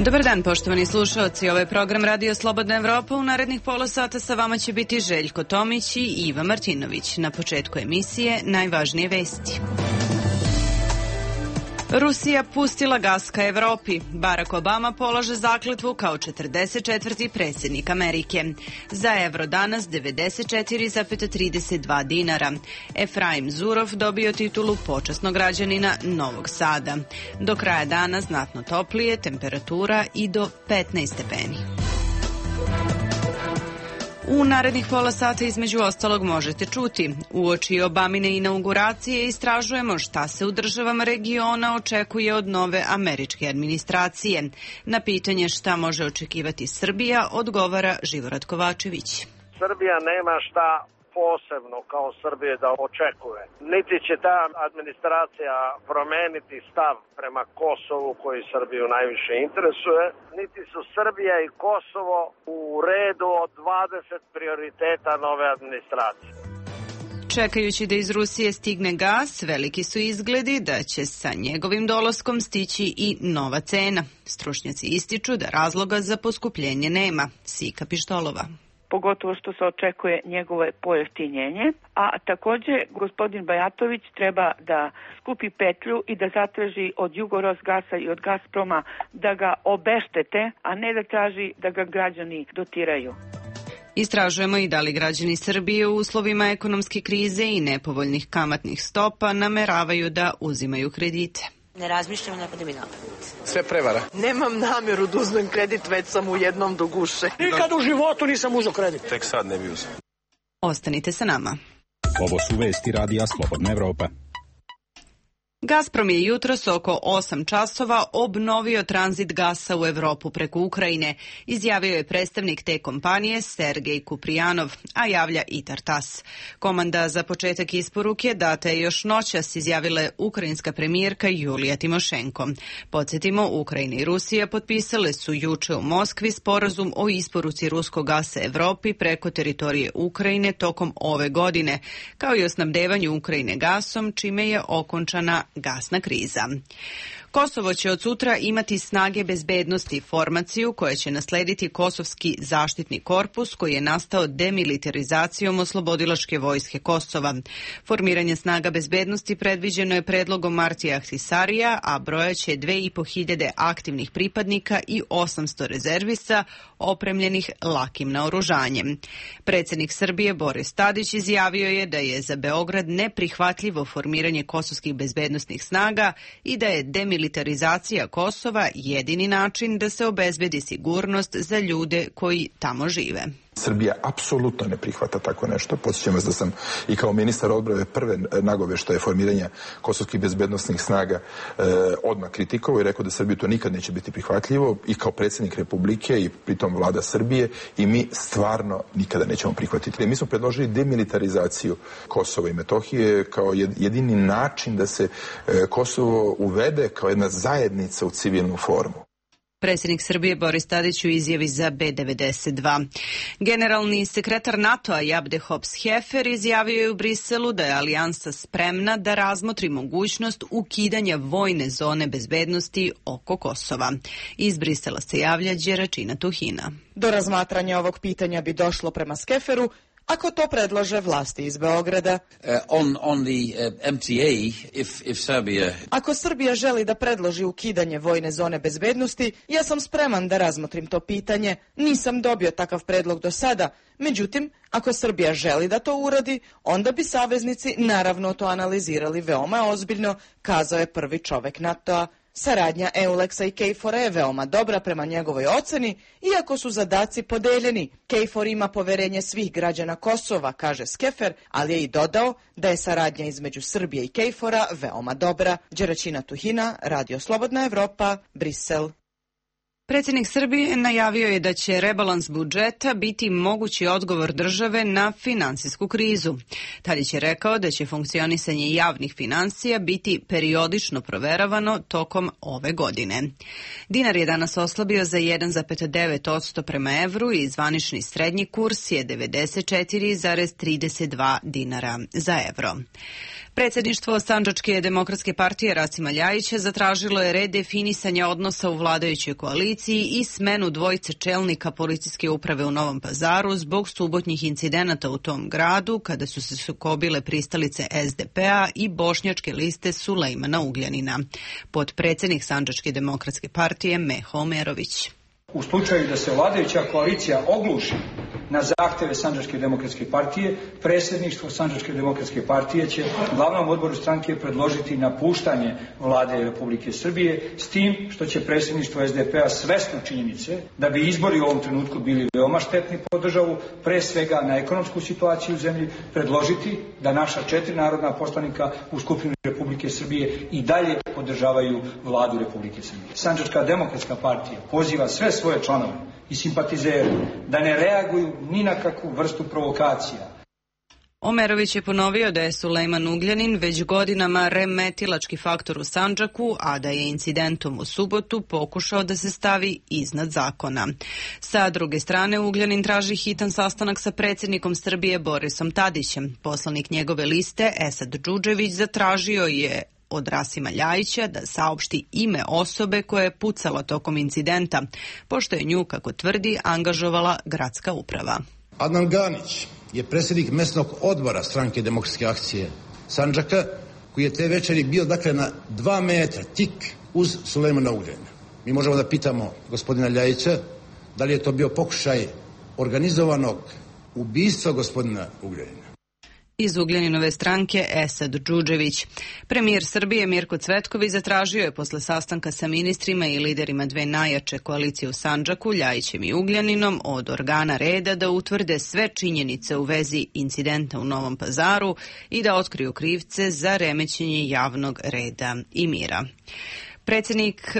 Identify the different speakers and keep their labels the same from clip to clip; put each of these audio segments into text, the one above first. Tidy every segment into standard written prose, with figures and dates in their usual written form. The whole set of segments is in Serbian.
Speaker 1: Dobar dan, poštovani slušaoci. Ovo je program Radio Slobodna Evropa. U narednih pola sata sa vama će biti Željko Tomić i Iva Martinović. Na početku emisije najvažnije vesti. Rusija pustila gas ka Evropi. Barack Obama polaže zakletvu kao 44. predsjednik Amerike. Za evro danas 94,32 dinara. Efraim Zurov dobio titulu počasnog građanina Novog Sada. Do kraja dana znatno toplije, temperatura i do 15 stepeni. U narednih pola sata između ostalog možete čuti. Uoči Obamine inauguracije istražujemo šta se u državama regiona očekuje od nove američke administracije. Na pitanje šta može očekivati Srbija odgovara Živorad Kovačević.
Speaker 2: Srbija nema šta posebno kao Srbije da očekuje. Niti će ta administracija promeniti stav prema Kosovu koji Srbiju najviše interesuje, niti su Srbija i Kosovo u redu od 20 prioriteta nove administracije.
Speaker 1: Čekajući da iz Rusije stigne gas, veliki su izgledi da će sa njegovim dolaskom stići i nova cena. Stručnjaci ističu da razloga za poskupljenje nema. Sika Pištolova.
Speaker 3: Pogotovo što se očekuje njegovo pojeftinjenje, a također gospodin Bajatović treba da skupi petlju i da zatraži od Jugorosgasa i od Gazproma da ga obeštete, a ne da traži da ga građani dotiraju.
Speaker 1: Istražujemo i da li građani Srbije u uslovima ekonomske krize i nepovoljnih kamatnih stopa nameravaju da uzimaju kredite.
Speaker 4: Ne razmišljam, ne pada mi na pamet.
Speaker 5: Sve prevara.
Speaker 6: Nemam namjeru da uzmem kredit, već sam u jednom do guše.
Speaker 7: Nikad u životu nisam uzeo kredit.
Speaker 5: Tek sad ne bi uzeo.
Speaker 1: Ostanite sa nama.
Speaker 8: Ovo su vesti Radija Slobodna Evropa.
Speaker 1: Gazprom je jutros oko 8 časova obnovio tranzit gasa u Evropu preko Ukrajine, izjavio je predstavnik te kompanije Sergej Kuprijanov, a javlja Itar TASS. Komanda za početak isporuke data je još noćas, izjavila je ukrajinska premijerka Julija Timošenko. Podsjetimo, Ukrajina i Rusija potpisale su juče u Moskvi sporazum o isporuci ruskog gasa Evropi preko teritorije Ukrajine tokom ove godine, kao i o snabdevanju Ukrajine gasom, čime je okončana gasna kriza. Kosovo će od sutra imati snage bezbednosti, formaciju koja će naslediti Kosovski zaštitni korpus koji je nastao demilitarizacijom oslobodilačke vojske Kosova. Formiranje snaga bezbednosti predviđeno je predlogom Martija Ahtisarija, a broja će 2500 aktivnih pripadnika i 800 rezervista opremljenih lakim naoružanjem. Predsjednik Srbije Boris Tadić izjavio je da je za Beograd neprihvatljivo formiranje kosovskih bezbednosnih snaga i da je demilitarizacija Kosova jedini način da se obezbedi sigurnost za ljude koji tamo žive.
Speaker 9: Srbija apsolutno ne prihvata tako nešto. Podsjećam vas da sam i kao ministar odbrane prve nagoveštaje formiranja kosovskih bezbednosnih snaga odmah kritikovao i rekao da Srbiji to nikad neće biti prihvatljivo, i kao predsjednik Republike i pritom vlada Srbije, i mi stvarno nikada nećemo prihvatiti. Mi smo predložili demilitarizaciju Kosova i Metohije kao jedini način da se Kosovo uvede kao jedna zajednica u civilnu formu.
Speaker 1: Predsjednik Srbije Boris Tadić u izjavi za B92. Generalni sekretar NATO-a Jabde Hops-Hefer izjavio je u Briselu da je alijansa spremna da razmotri mogućnost ukidanja vojne zone bezbednosti oko Kosova. Iz Brisela se javlja Đeračina Tuhina.
Speaker 6: Do razmatranja ovog pitanja bi došlo prema Skeferu ako to predlože vlasti iz Beograda. Ako Srbija želi da predloži ukidanje vojne zone bezbednosti, ja sam spreman da razmotrim to pitanje. Nisam dobio takav predlog do sada. Međutim, ako Srbija želi da to uradi, onda bi saveznici naravno to analizirali veoma ozbiljno, kazao je prvi čovek NATO-a. Saradnja EULEX-a i KFOR-a je veoma dobra prema njegovoj oceni, iako su zadaci podeljeni. KFOR ima poverenje svih građana Kosova, kaže Skefer, ali je i dodao da je saradnja između Srbije i KFOR-a veoma dobra. Đeračina Tuhina, Radio Slobodna Evropa, Brisel.
Speaker 1: Predsjednik Srbije najavio je da će rebalans budžeta biti mogući odgovor države na finansijsku krizu. Tadić je rekao da će funkcionisanje javnih financija biti periodično proveravano tokom ove godine. Dinar je danas oslabio za 1,9% prema evru i zvanični srednji kurs je 94,32 dinara za evro. Predsjedništvo Sandžačke demokratske partije Rasima Ljajića zatražilo je redefinisanje odnosa u vladajućoj koaliciji policiji i smenu dvojice čelnika policijske uprave u Novom Pazaru zbog subotnjih incidenata u tom gradu kada su se sukobile pristalice SDP-a i bošnjačke liste Sulejmana Ugljanina. Potpredsjednik Sandžačke demokratske partije Meho Omerović.
Speaker 5: U slučaju da se vladajuća koalicija ogluši na zahtjeve Sandžačke demokratske partije, predsjedništvo Sandžačke demokratske partije će glavnom odboru stranke predložiti napuštanje vlade Republike Srbije, s tim što će predsjedništvo SDP-a svesno činjenice da bi izbori u ovom trenutku bili veoma štetni po državu, pre svega na ekonomsku situaciju u zemlji, predložiti da naša 4 narodna poslanika u Skupštini Republike Srbije i dalje podržavaju vladu Republike Srbije. Sandžačka demokratska partija poziva sve svoje članove i simpatizere da ne reaguju ni na kakvu vrstu provokacija.
Speaker 1: Omerović je ponovio da je Sulejman Ugljanin već godinama remetilački faktor u Sandžaku, a da je incidentom u subotu pokušao da se stavi iznad zakona. Sa druge strane, Ugljanin traži hitan sastanak sa predsjednikom Srbije Borisom Tadićem. Poslanik njegove liste, Esad Džudžević, zatražio je od Rasima Ljajića da saopšti ime osobe koja je pucala tokom incidenta, pošto je nju, kako tvrdi, angažovala gradska uprava.
Speaker 10: Adnan Ganić je predsjednik mesnog odbora Stranke demokratske akcije Sandžaka, koji je te večeri bio na 2 metra tik uz Sulejmana Ugljanina. Mi možemo da pitamo gospodina Ljajića da li je to bio pokušaj organizovanog ubistva gospodina Ugljanina.
Speaker 1: Iz Ugljaninove stranke Esad Džudžević. Premijer Srbije Mirko Cvetković zatražio je posle sastanka sa ministrima i liderima dve najjače koalicije u Sandžaku, Ljajićem i Ugljaninom, od organa reda da utvrde sve činjenice u vezi incidenta u Novom Pazaru i da otkriju krivce za remećenje javnog reda i mira.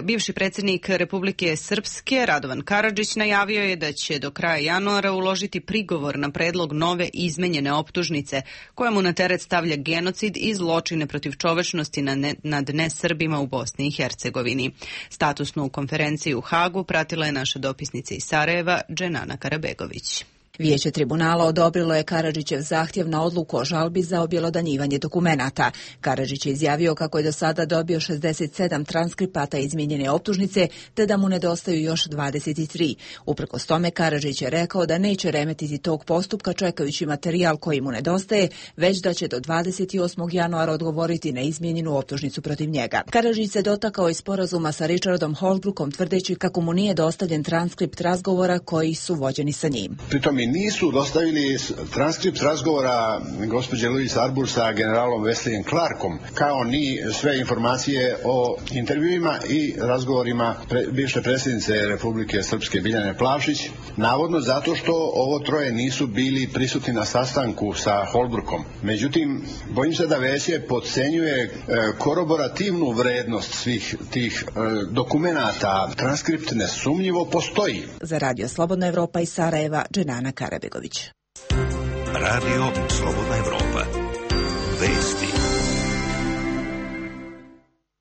Speaker 1: Bivši predsjednik Republike Srpske Radovan Karadžić najavio je da će do kraja januara uložiti prigovor na predlog nove izmenjene optužnice koja mu na teret stavlja genocid i zločine protiv čovečnosti nad nesrbima u Bosni i Hercegovini. Statusnu konferenciju u Hagu pratila je naša dopisnica iz Sarajeva Dženana Karabegović.
Speaker 11: Vijeće tribunala odobrilo je Karadžićev zahtjev na odluku o žalbi za objelodanjivanje dokumenata. Karadžić je izjavio kako je do sada dobio 67 transkripata izmijenjene optužnice, te da mu nedostaju još 23. Uprkos tome, Karadžić je rekao da neće remetiti tog postupka čekajući materijal koji mu nedostaje, već da će do 28. januara odgovoriti na izmijenjenu optužnicu protiv njega. Karadžić se dotakao i sporazuma sa Richardom Holbrookom, tvrdeći kako mu nije dostavljen transkript razgovora koji su vođeni sa njim.
Speaker 12: Nisu dostavili transkript razgovora gospođe Louise Arbour sa generalom Wesleyem Clarkom, kao ni sve informacije o intervjuima i razgovorima bivše predsjednice Republike Srpske Biljane Plavšić, navodno zato što ovo troje nisu bili prisutni na sastanku sa Holbrookom. Međutim, bojim se da vijeće podcenjuje koroborativnu vrednost svih tih dokumenata. Transkript nesumnjivo postoji.
Speaker 11: Za Radio Slobodna Evropa iz Sarajeva, Dženana Karabegović.
Speaker 13: Radio Slobodna Evropa. Vesti.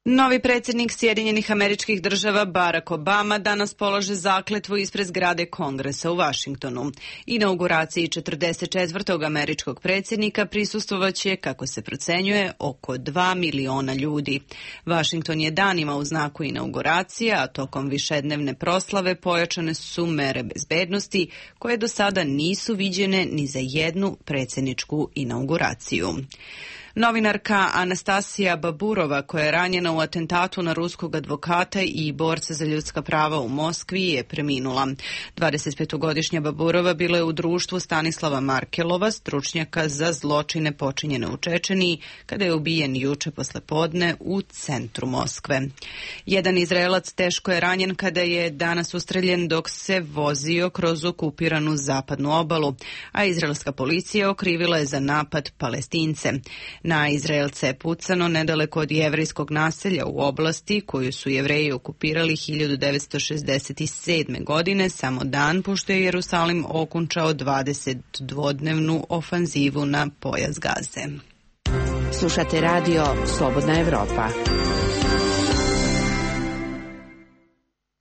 Speaker 1: Novi predsjednik Sjedinjenih Američkih Država Barack Obama danas polaže zakletvu ispred zgrade Kongresa u Vašingtonu. Inauguraciji 44. američkog predsjednika prisustvovaće, kako se procenjuje, oko 2 miliona ljudi. Vašington je danima u znaku inauguracije, a tokom višednevne proslave pojačane su mere bezbednosti koje do sada nisu viđene ni za jednu predsjedničku inauguraciju. Novinarka Anastasija Baburova, koja je ranjena u atentatu na ruskog advokata i borca za ljudska prava u Moskvi, je preminula. 25-godišnja Baburova bila je u društvu Stanislava Markelova, stručnjaka za zločine počinjene u Čečeniji, kada je ubijen juče poslepodne u centru Moskve. Jedan Izraelac teško je ranjen kada je danas ustreljen dok se vozio kroz okupiranu zapadnu obalu, a izraelska policija okrivila je za napad Palestince. Na Izraelce je pucano nedaleko od jevrejskog naselja u oblasti koju su Jevreji okupirali 1967. godine, samo dan pošto je Jerusalim okončao 22-dnevnu ofanzivu na pojas Gaze.
Speaker 14: Slušate Radio Slobodna Evropa.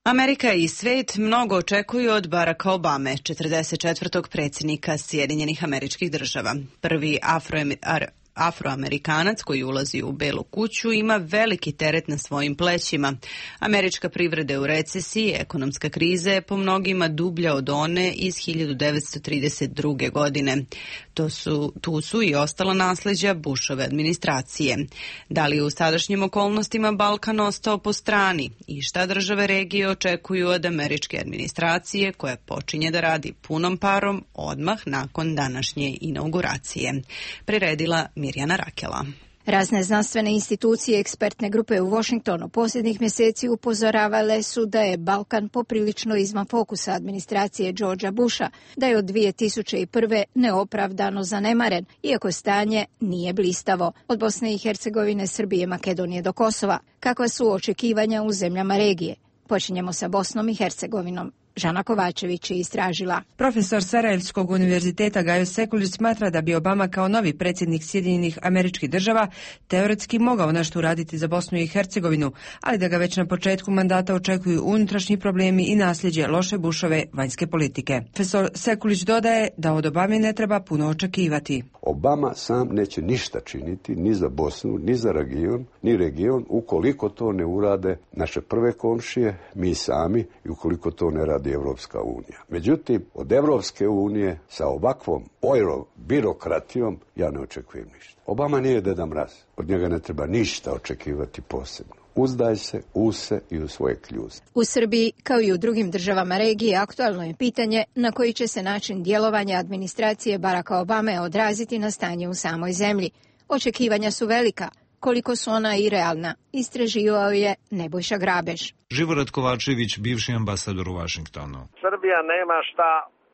Speaker 1: Amerika i svet mnogo očekuju od Baracka Obame, 44. predsjednika Sjedinjenih Američkih Država. Prvi Afroamerikanac koji ulazi u Belu kuću ima veliki teret na svojim plećima. Američka privreda je u recesiji, ekonomska kriza je po mnogima dublja od one iz 1932. godine. Tu su i ostala nasleđa Bushove administracije. Da li je u sadašnjim okolnostima Balkan ostao po strani i šta države regije očekuju od američke administracije koja počinje da radi punom parom odmah nakon današnje inauguracije. Priredila Mirjana Rakela.
Speaker 15: Razne znanstvene institucije i ekspertne grupe u Washingtonu posljednjih mjeseci upozoravale su da je Balkan poprilično izvan fokusa administracije Georgea Busha, da je od 2001. neopravdano zanemaren, iako stanje nije blistavo. Od Bosne i Hercegovine, Srbije, Makedonije do Kosova. Kakva su očekivanja u zemljama regije? Počinjemo sa Bosnom i Hercegovinom. Žana Kovačević je istražila.
Speaker 16: Profesor Sarajevskog univerziteta Gajo Sekulić smatra da bi Obama kao novi predsjednik Sjedinjenih Američkih Država teoretski mogao nešto uraditi za Bosnu i Hercegovinu, ali da ga već na početku mandata očekuju unutrašnji problemi i nasljeđe loše Bushove vanjske politike. Profesor Sekulić dodaje da od Obame ne treba puno očekivati.
Speaker 17: Obama sam neće ništa činiti ni za Bosnu, ni za region, ukoliko to ne urade naše prve komšije, mi sami, i ukoliko to ne radi Evropska unija. Međutim, od Evropske unije sa ovakvom birokratijom ja ne očekujem ništa. Obama nije Deda Mraz. Od njega ne treba ništa očekivati posebno. Uzdaj se u se i u svoje kljuze.
Speaker 15: U Srbiji, kao i u drugim državama regije, aktualno je pitanje na koji će se način djelovanja administracije Baracka Obame odraziti na stanje u samoj zemlji. Očekivanja su velika. Koliko su ona i realna, istraživao je Nebojša Grabež.
Speaker 18: Živorad Kovačević, bivši ambasador u Vašingtonu.
Speaker 2: Srbija nema šta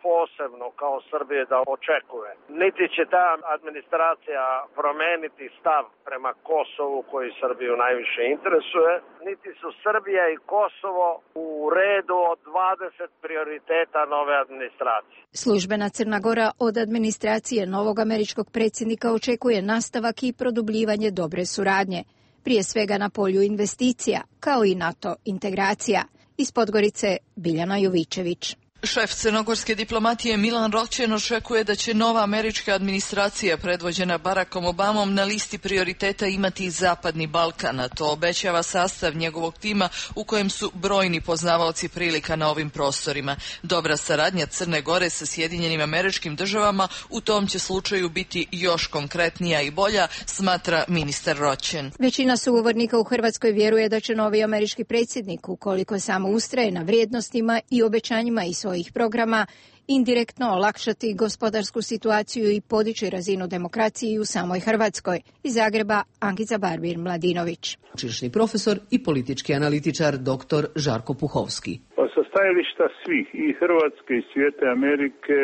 Speaker 2: posebno kao Srbije da očekuje. Niti će ta administracija promeniti stav prema Kosovu koji Srbiju najviše interesuje, niti su Srbija i Kosovo u redu od 20 prioriteta nove administracije.
Speaker 15: Službena Crna Gora od administracije novog američkog predsjednika očekuje nastavak i produbljivanje dobre suradnje, prije svega na polju investicija, kao i NATO integracija. Iz Podgorice Biljana Jovičević.
Speaker 19: Šef crnogorske diplomatije Milan Roćen očekuje da će nova američka administracija predvođena Barackom Obamom na listi prioriteta imati i Zapadni Balkan, a to obećava sastav njegovog tima u kojem su brojni poznavaoci prilika na ovim prostorima. Dobra saradnja Crne Gore sa Sjedinjenim Američkim Državama u tom će slučaju biti još konkretnija i bolja, smatra ministar Roćen.
Speaker 15: Većina sugovornika u Hrvatskoj vjeruje da će novi američki predsjednik, ukoliko samo ustraje na vrijednostima i obećanjima i svojih programa, indirektno olakšati gospodarsku situaciju i podići razinu demokracije u samoj Hrvatskoj. Iz Zagreba Ankica Barbir-Mladinović.
Speaker 20: Sveučilišni profesor i politički analitičar dr. Žarko Puhovski.
Speaker 21: Sa stajališta svih, i Hrvatske i svijete Amerike,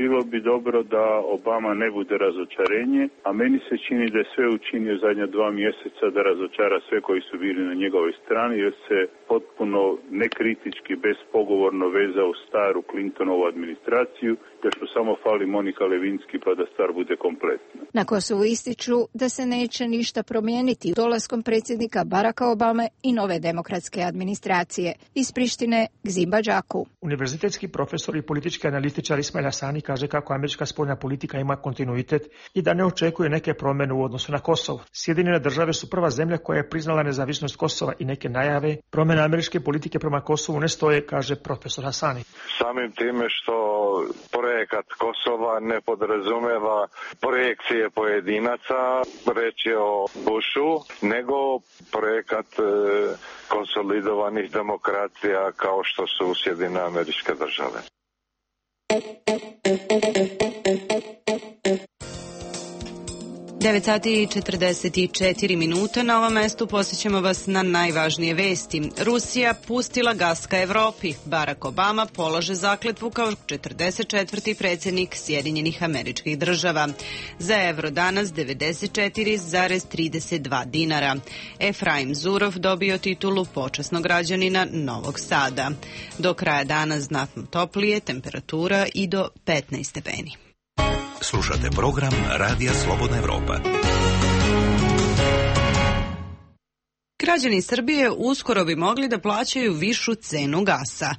Speaker 21: bilo bi dobro da Obama ne bude razočarenje, a meni se čini da je sve učinio zadnja 2 mjeseca da razočara sve koji su bili na njegovoj strani, jer se potpuno nekritički, bespogovorno vezao u staru Clintonovu administraciju, još mu samo fali Monika Levinski pa da stvar bude kompletna.
Speaker 15: Na Kosovu ističu da se neće ništa promijeniti dolaskom predsjednika Baracka Obame i nove demokratske administracije. Iz Prištine Gzimba Đaku.
Speaker 7: Univerzitetski profesor i politički analitičar Ismail Hasani kaže kako američka spoljna politika ima kontinuitet i da ne očekuje neke promjene u odnosu na Kosovo. Sjedinjene države su prva zemlja koja je priznala nezavisnost Kosova i neke najave promjene američke politike prema Kosovu ne stoje, kaže profesor Hasani.
Speaker 22: Samim time što projekat Kosova ne podrazumeva projekcije pojedinaca, reći o Bushu, nego projekat konsolidovanih demokracija kao što su Sjedinjene Američke Države.
Speaker 1: 9 sati i 44 minuta. Na ovom mestu posjećamo vas na najvažnije vesti. Rusija pustila gas ka Evropi. Barack Obama polaže zakletvu kao 44. predsjednik Sjedinjenih Američkih Država. Za evro danas 94,32 dinara. Efraim Zurov dobio titulu počasnog građanina Novog Sada. Do kraja dana znatno toplije, temperatura i do 15 stepeni.
Speaker 13: Slušate program Radija Slobodna Evropa.
Speaker 1: Građani Srbije uskoro bi mogli da plaćaju višu cenu gasa.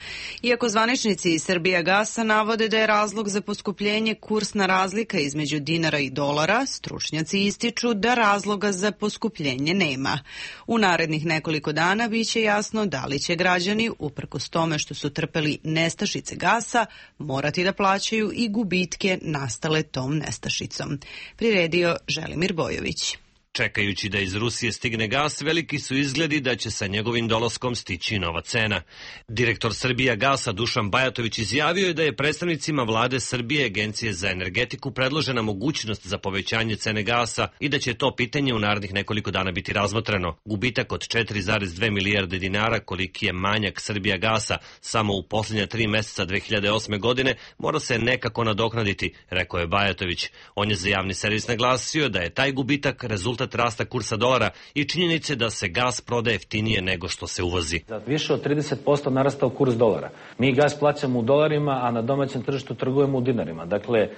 Speaker 1: Iako zvaničnici iz Srbijagasa navode da je razlog za poskupljenje kursna razlika između dinara i dolara, stručnjaci ističu da razloga za poskupljenje nema. U narednih nekoliko dana biće jasno da li će građani, uprkos tome što su trpeli nestašice gasa, morati da plaćaju i gubitke nastale tom nestašicom. Priredio Želimir Bojović.
Speaker 3: Čekajući da iz Rusije stigne gas, veliki su izgledi da će sa njegovim dolaskom stići nova cena. Direktor Srbijagasa Dušan Bajatović izjavio je da je predstavnicima vlade Srbije Agencije za energetiku predložena mogućnost za povećanje cene gasa i da će to pitanje u narednih nekoliko dana biti razmotreno. Gubitak od 4,2 milijarde dinara, koliki je manjak Srbijagasa samo u posljednja 3 meseca 2008. godine, mora se nekako nadoknaditi, rekao je Bajatović. On je za javni servis naglasio da je taj gubitak rezultat rasta kursa dolara i činjenice da se gas prodaje jeftinije nego što se uvozi.
Speaker 4: Za više od 30% narastao kurs dolara. Mi gas plaćamo u dolarima, a na domaćem tržištu trgujemo u dinarima. Dakle,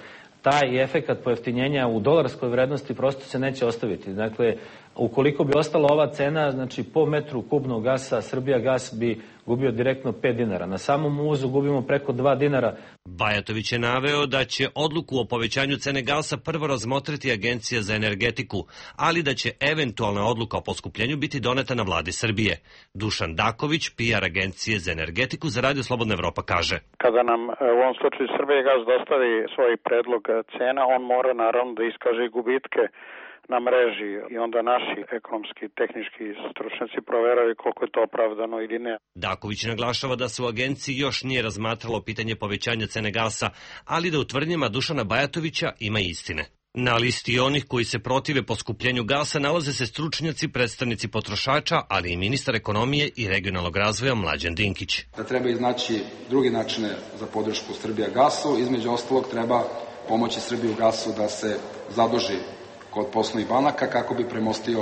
Speaker 4: taj efekat pojeftinjenja u dolarskoj vrednosti prosto se neće ostaviti. Dakle, ukoliko bi ostala ova cena, znači po metru kubnog gasa, Srbijagas bi gubio direktno 5 dinara. Na samom uvozu gubimo preko 2 dinara.
Speaker 3: Bajatović je naveo da će odluku o povećanju cene gasa prvo razmotriti Agencija za energetiku, ali da će eventualna odluka o poskupljenju biti doneta na vladi Srbije. Dušan Daković, PR Agencije za energetiku za Radio Slobodna Evropa, kaže:
Speaker 23: Kada nam u ovom slučaju Srbijagas dostavi svoj predlog cena, on mora naravno da iskaže gubitke na mreži i onda naši ekonomski, tehnički stručnjaci proveraju koliko je to opravdano ili ne.
Speaker 3: Daković naglašava da se u agenciji još nije razmatralo pitanje povećanja cene gasa, ali da u tvrdnjama Dušana Bajatovića ima istine. Na listi onih koji se protive poskupljenju gasa nalaze se stručnjaci, predstavnici potrošača, ali i ministar ekonomije i regionalnog razvoja Mlađan Dinkić.
Speaker 24: Da treba iznaći drugi načine za podršku Srbijagasu, između ostalog treba pomoći Srbijagasu da se zaduži kod poslovnih banaka kako bi premostio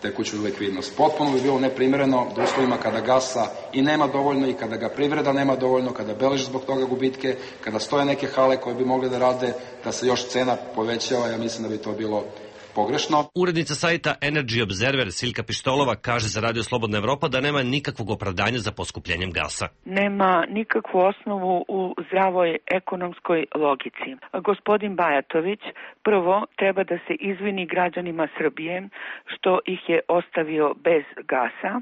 Speaker 24: tekuću likvidnost. Potpuno bi bilo neprimereno da uslovima kada gasa i nema dovoljno i kada ga privreda nema dovoljno, kada beleži zbog toga gubitke, kada stoje neke hale koje bi mogle da rade, da se još cena povećava, ja mislim da bi to bilo pogrešno.
Speaker 3: Urednica sajta Energy Observer Silka Pištolova kaže za Radio Slobodna Evropa da nema nikakvog opravdanja za poskupljenjem gasa.
Speaker 25: Nema nikakvu osnovu u zdravoj ekonomskoj logici. Gospodin Bajatović prvo treba da se izvini građanima Srbije što ih je ostavio bez gasa,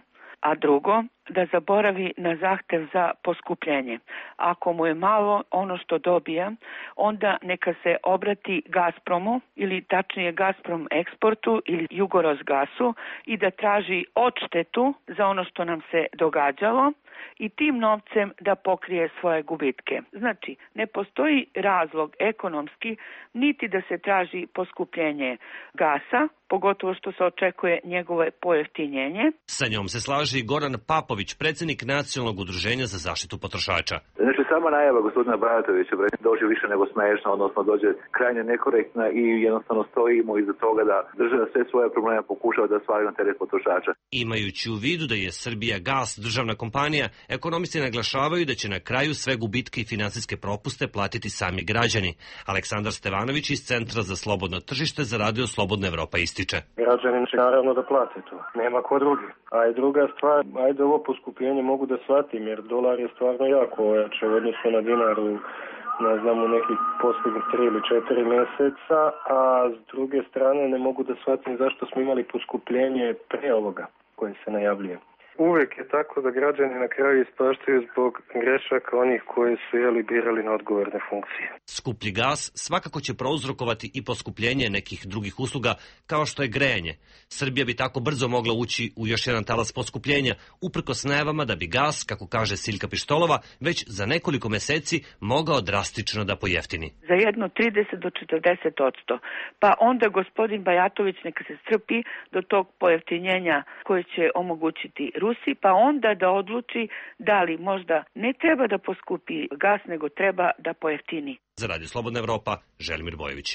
Speaker 25: a drugo, da zaboravi na zahtev za poskupljenje. Ako mu je malo ono što dobija, onda neka se obrati Gazpromu ili tačnije Gazprom eksportu ili Jugorosgasu i da traži odštetu za ono što nam se događalo i tim novcem da pokrije svoje gubitke. Znači, ne postoji razlog ekonomski niti da se traži poskupljenje gasa, pogotovo što se očekuje njegove pojeftinjenje.
Speaker 3: Sa njom se slaže i Goran Papović, predsjednik Nacionalnog udruženja za zaštitu potrošača.
Speaker 26: Znači, sama najava gospodina Bajatovića dođe više nego smešna, odnosno dođe krajnje nekorektna i jednostavno stojimo iza toga da država sve svoje probleme pokušava da svali na teret potrošača.
Speaker 3: Imajući u vidu da je Srbijagas državna kompanija, ekonomisti naglašavaju da će na kraju sve gubitke i finansijske propuste platiti sami građani. Aleksandar Stevanović iz Centra za slobodno tržište za Radio Slobodna Evropa ističe:
Speaker 27: Građani će naravno da plate to, nema ko drugi. A i druga stvar, ajde ovo poskupljenje mogu da shvatim, jer dolar je stvarno jako ojačao u odnosu na dinar u nekih posljednjih 3 ili 4 meseca, a s druge strane ne mogu da shvatim zašto smo imali poskupljenje pre ovoga koje se najavljuje. Uvijek je tako da građani na kraju ispaštaju zbog grešaka onih koji su birali na odgovorne funkcije.
Speaker 3: Skuplji gas svakako će prouzrokovati i poskupljenje nekih drugih usluga kao što je grejanje. Srbija bi tako brzo mogla ući u još jedan talas poskupljenja, uprkos najavama da bi gas, kako kaže Silka Pištolova, već za nekoliko meseci mogao drastično da pojeftini.
Speaker 25: Za jedno 30 do 40%. Pa onda gospodin Bajatović neka se strpi do tog pojeftinjenja koje će omogućiti Rusiji, pa onda da odluči da li možda ne treba da poskupi gas, nego treba da pojeftini.
Speaker 3: Za Radio Slobodna Evropa, Želimir Bojović.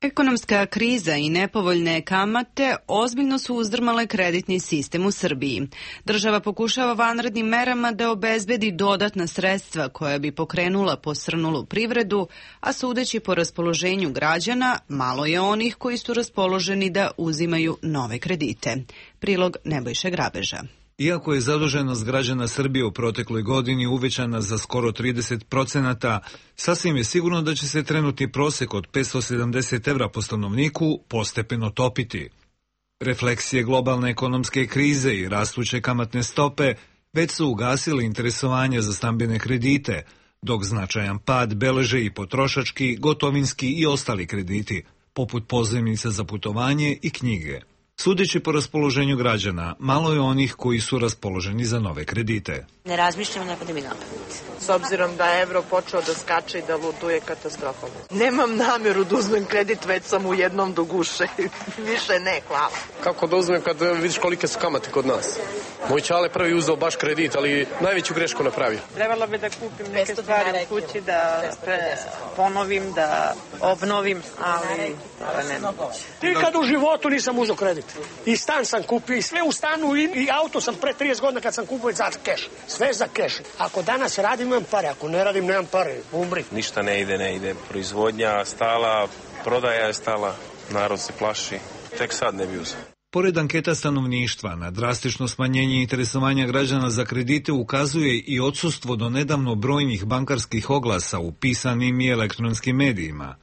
Speaker 1: Ekonomska kriza i nepovoljne kamate ozbiljno su uzdrmale kreditni sistem u Srbiji. Država pokušava vanrednim merama da obezbedi dodatna sredstva koja bi pokrenula posrnulu privredu, a sudeći po raspoloženju građana, malo je onih koji su raspoloženi da uzimaju nove kredite. Prilog Nebojše Grabeža.
Speaker 18: Iako je zaduženost građana Srbije u protekloj godini uvećana za skoro 30%, sasvim je sigurno da će se trenutni prosek od 570 evra po stanovniku postepeno topiti. Refleksije globalne ekonomske krize i rastuće kamatne stope već su ugasile interesovanje za stambene kredite, dok značajan pad beleže i potrošački, gotovinski i ostali krediti, poput pozajmica za putovanje i knjige. Sudeći po raspoloženju građana, malo je onih koji su raspoloženi za nove kredite.
Speaker 5: Ne razmišljam, ne pada mi na pamet.
Speaker 6: S obzirom da je evro počeo da skače i da luduje katastrofalno. Nemam nameru da uzmem kredit, već sam u jednom do guše. Više ne, hvala.
Speaker 8: Kako da uzmem kad vidiš kolike su kamate kod nas? Moj čale prvi uzeo baš kredit, ali najveću grešku napravio.
Speaker 6: Trebalo bi da kupim neke stvari u kući, da ponovim, da obnovim, ali ne moguće.
Speaker 9: Nikad u životu nisam uzeo kredit. I stan sam kupio, i sve u stanu, i auto sam pre 30 godina kad sam kupio za keš. Sve za keš. Ako danas radim, imam pare. Ako ne radim, nemam pare. Umri.
Speaker 10: Ništa ne ide. Proizvodnja stala, prodaja je stala, narod se plaši. Tek sad ne bi uzeo.
Speaker 18: Pored anketa stanovništva, na drastično smanjenje interesovanja građana za kredite ukazuje i odsustvo do nedavno brojnih bankarskih oglasa u pisanim i elektronskim medijima.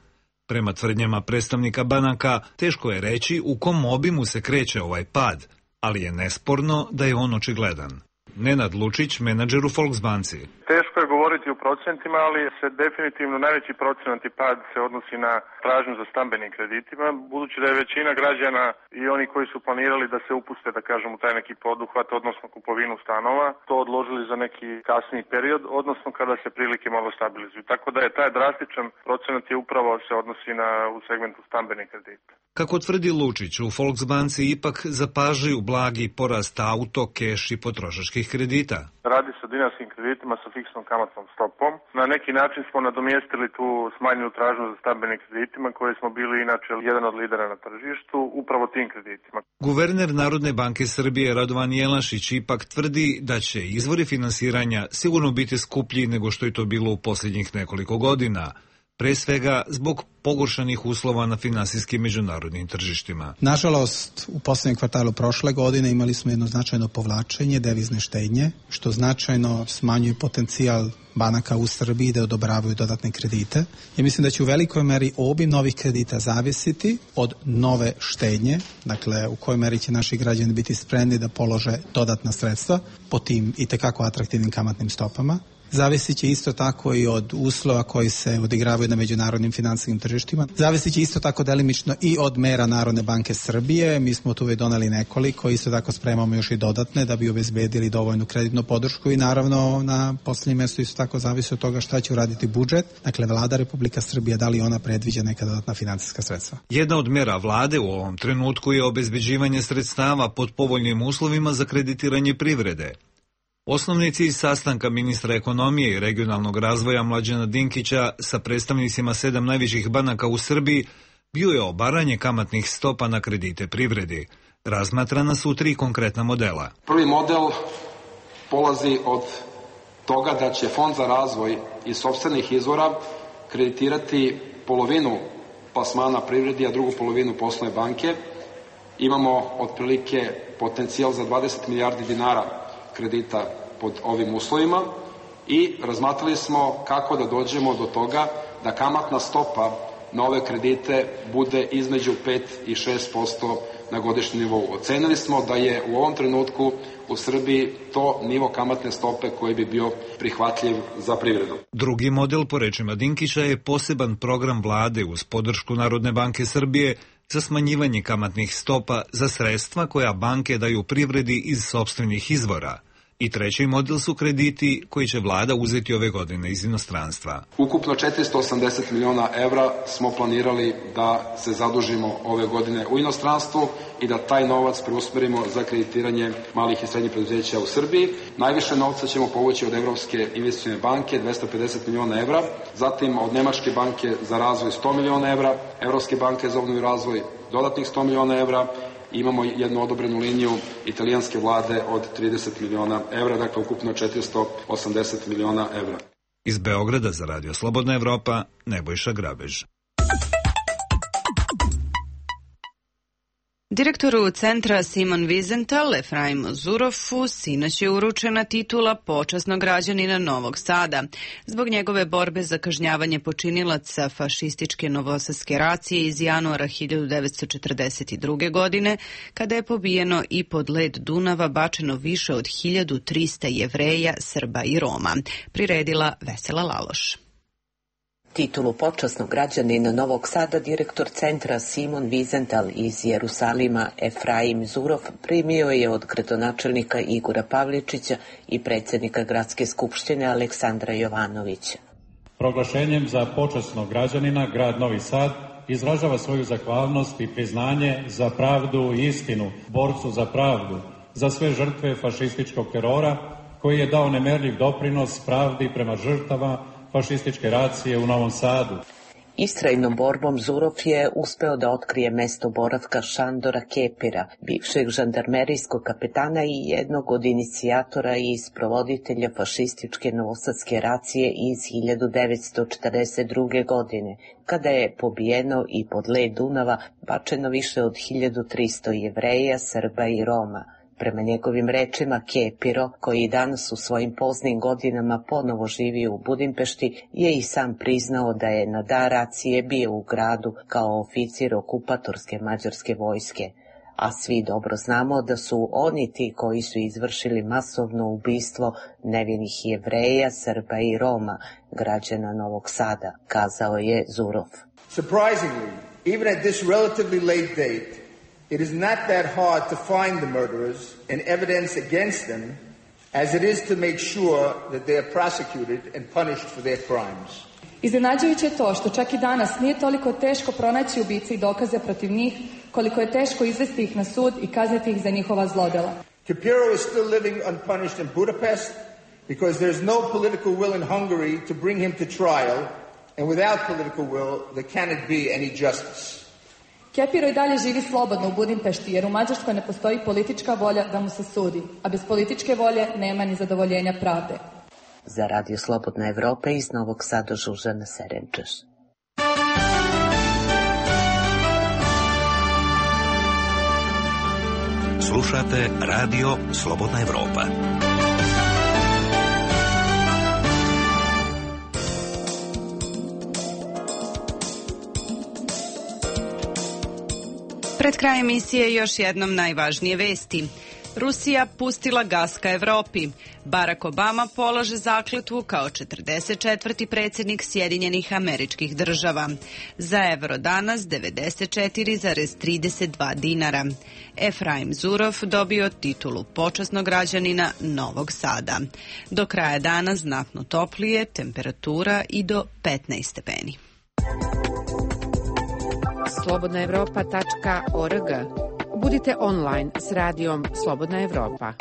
Speaker 18: Prema tvrdnjama predstavnika banaka, teško je reći u kom obimu se kreće ovaj pad, ali je nesporno da je on očigledan. Nenad Lučić, menadžer u Volksbanci.
Speaker 21: Teško je govoriti o procentima, ali se definitivno najveći procenat i pad se odnosi na tražnju za stambenim kreditima, budući da je većina građana i oni koji su planirali da se upuste, da kažem, u taj neki poduhvat, odnosno kupovinu stanova, to odložili za neki kasniji period, odnosno kada se prilike malo stabilizuju. Tako da je taj drastičan procenat je upravo se odnosi u segmentu stambenih kredita.
Speaker 18: Kako tvrdi Lučić, u Volksbanci ipak zapažaju blagi porast auto, keš i potrošačkih kredita.
Speaker 21: Radi se o dinarskim kreditima sa fiksnom kamatnom stopom. Na neki način smo nadomjestili tu smanjenu tražnju za stambenim kreditima koje smo bili inače jedan od lidera na tržištu, upravo tim kreditima.
Speaker 18: Guverner Narodne banke Srbije Radovan Jelašić ipak tvrdi da će izvori finansiranja sigurno biti skuplji nego što je to bilo u posljednjih nekoliko godina, pre svega zbog pogoršanih uslova na finansijskim međunarodnim tržištima.
Speaker 11: Nažalost, u posljednjem kvartalu prošle godine imali smo jedno značajno povlačenje devizne štednje, što značajno smanjuje potencijal banaka u Srbiji da odobravaju dodatne kredite. Ja mislim da će u velikoj meri obim novih kredita zavisiti od nove štednje, dakle u kojoj meri će naši građani biti spremni da polože dodatna sredstva po tim itekako atraktivnim kamatnim stopama. Zavisit će isto tako i od uslova koji se odigravaju na međunarodnim finansijskim tržištima. Zavisit će isto tako delimično i od mera Narodne banke Srbije. Mi smo tu već doneli nekoliko, isto tako spremamo još i dodatne da bi obezbedili dovoljnu kreditnu podršku i naravno na posljednjem mjestu isto tako zavisi od toga šta će uraditi budžet. Dakle, Vlada Republika Srbije, da li ona predviđa neka dodatna finansijska sredstva.
Speaker 18: Jedna od mera vlade u ovom trenutku je obezbeđivanje sredstava pod povoljnim uslovima za kreditiranje privrede. Osnovni cilj sastanka ministra ekonomije i regionalnog razvoja Mlađana Dinkića sa predstavnicima 7 najvećih banaka u Srbiji bio je obaranje kamatnih stopa na kredite privredi. Razmatrana su 3 konkretna modela.
Speaker 24: Prvi model polazi od toga da će Fond za razvoj iz sopstvenih izvora kreditirati polovinu plasmana privredi, a drugu polovinu poslovne banke. Imamo otprilike potencijal za 20 milijardi dinara kredita pod ovim uslovima i razmatrali smo kako da dođemo do toga da kamatna stopa na ove kredite bude između 5 i 6% na godišnjem nivou. Ocenili smo da je u ovom trenutku u Srbiji to nivo kamatne stope koji bi bio prihvatljiv za privredu.
Speaker 18: Drugi model, po rečima Dinkića, je poseban program vlade uz podršku Narodne banke Srbije za smanjivanje kamatnih stopa za sredstva koja banke daju privredi iz sopstvenih izvora. I treći model su krediti koji će vlada uzeti ove godine iz inostranstva.
Speaker 24: Ukupno 480 miliona evra smo planirali da se zadužimo ove godine u inostranstvu i da taj novac preusmerimo za kreditiranje malih i srednjih preduzeća u Srbiji. Najviše novca ćemo povući od Evropske investicione banke, 250 miliona evra, zatim od Nemačke banke za razvoj 100 miliona evra, Evropske banke za obnovu i razvoj dodatnih 100 miliona evra. Imamo jednu odobrenu liniju italijanske vlade od 30 miliona evra, dakle ukupno 480 miliona evra.
Speaker 18: Iz Beograda za Radio Slobodna Evropa, Nebojša Grabež.
Speaker 1: Direktoru centra Simon Wiesenthal, Efraimu Zurofu, sinoć je uručena titula počasnog građanina Novog Sada zbog njegove borbe za kažnjavanje počinilaca fašističke novosadske racije iz januara 1942. godine, kada je pobijeno i pod led Dunava bačeno više od 1300 Jevreja, Srba i Roma. Priredila Vesela Laloš.
Speaker 2: Titulu počasnog građanina Novog Sada direktor centra Simon Wiesenthal iz Jerusalima Efraim Zurov primio je od gradonačelnika Igora Pavličića i predsjednika Gradske skupštine Aleksandra Jovanovića.
Speaker 12: Proglašenjem za počasnog građanina grad Novi Sad izražava svoju zahvalnost i priznanje za pravdu i istinu, borcu za pravdu, za sve žrtve fašističkog terora koji je dao nemerljiv doprinos pravdi prema žrtava fašističke racije u Novom Sadu.
Speaker 2: Istrajnom borbom Zurov je uspeo da otkrije mesto boravka Šandora Kepira, bivšeg žandarmerijskog kapetana i jednog od inicijatora i sprovoditelja fašističke novosadske racije iz 1942. godine, kada je pobijeno i pod led Dunava bačeno više od 1300 Jevreja, Srba i Roma. Prema njegovim rečima, Kepiro, koji danas u svojim poznim godinama ponovo živi u Budimpešti, je i sam priznao da je na dan racije bio u gradu kao oficir okupatorske mađarske vojske. A svi dobro znamo da su oni ti koji su izvršili masovno ubistvo nevinih Jevreja, Srba i Roma, građana Novog Sada, kazao je Zurov.
Speaker 14: Surprisingly, even at this relatively late date, it is not that hard to find the murderers and evidence against them as it is to make sure that they are prosecuted and punished for their crimes.
Speaker 16: Iznenađujuće je to što čak i danas nije toliko teško pronaći ubice i dokaze protiv njih, koliko je teško izvesti ih na sud i kazniti ih za njihova zlodela.
Speaker 14: Kepiro is still living unpunished in Budapest because there is no political will in Hungary to bring him to trial, and without political will there cannot be any justice.
Speaker 16: Kepiro i dalje živi slobodno u Budimpešti jer u Mađarskoj ne postoji politička volja da mu se sudi, a bez političke volje nema ni zadovoljenja pravde.
Speaker 2: Za Radio Slobodna Evropa iz Novog Sada Žužana Serenčeš.
Speaker 13: Slušate Radio Slobodna Evropa.
Speaker 1: Pred kraj emisije još jednom najvažnije vesti. Rusija pustila gas ka Evropi. Barack Obama polaže zakletvu kao 44. predsjednik Sjedinjenih Američkih Država. Za evro danas 94,32 dinara. Efraim Zurov dobio titulu počasnog građanina Novog Sada. Do kraja dana znatno toplije, temperatura i do 15 stepeni.
Speaker 17: slobodnaevropa.org. Budite online s radijom Slobodna Evropa.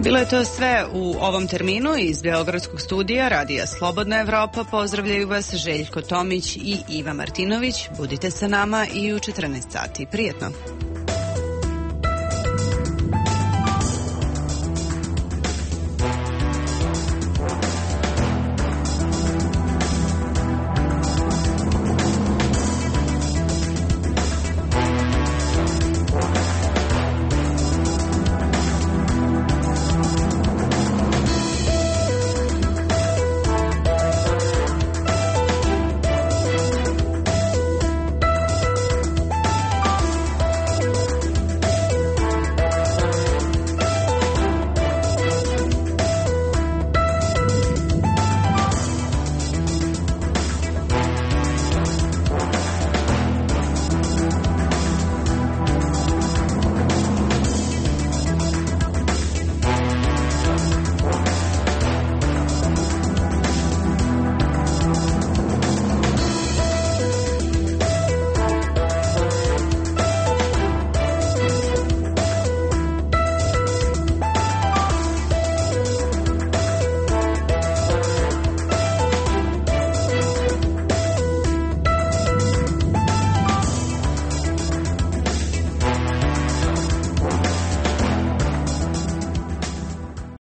Speaker 1: Bilo je to sve u ovom terminu iz Beogradskog studija Radija Slobodna Evropa. Pozdravljaju vas Željko Tomić i Iva Martinović. Budite sa nama i u 14 sati. Prijetno!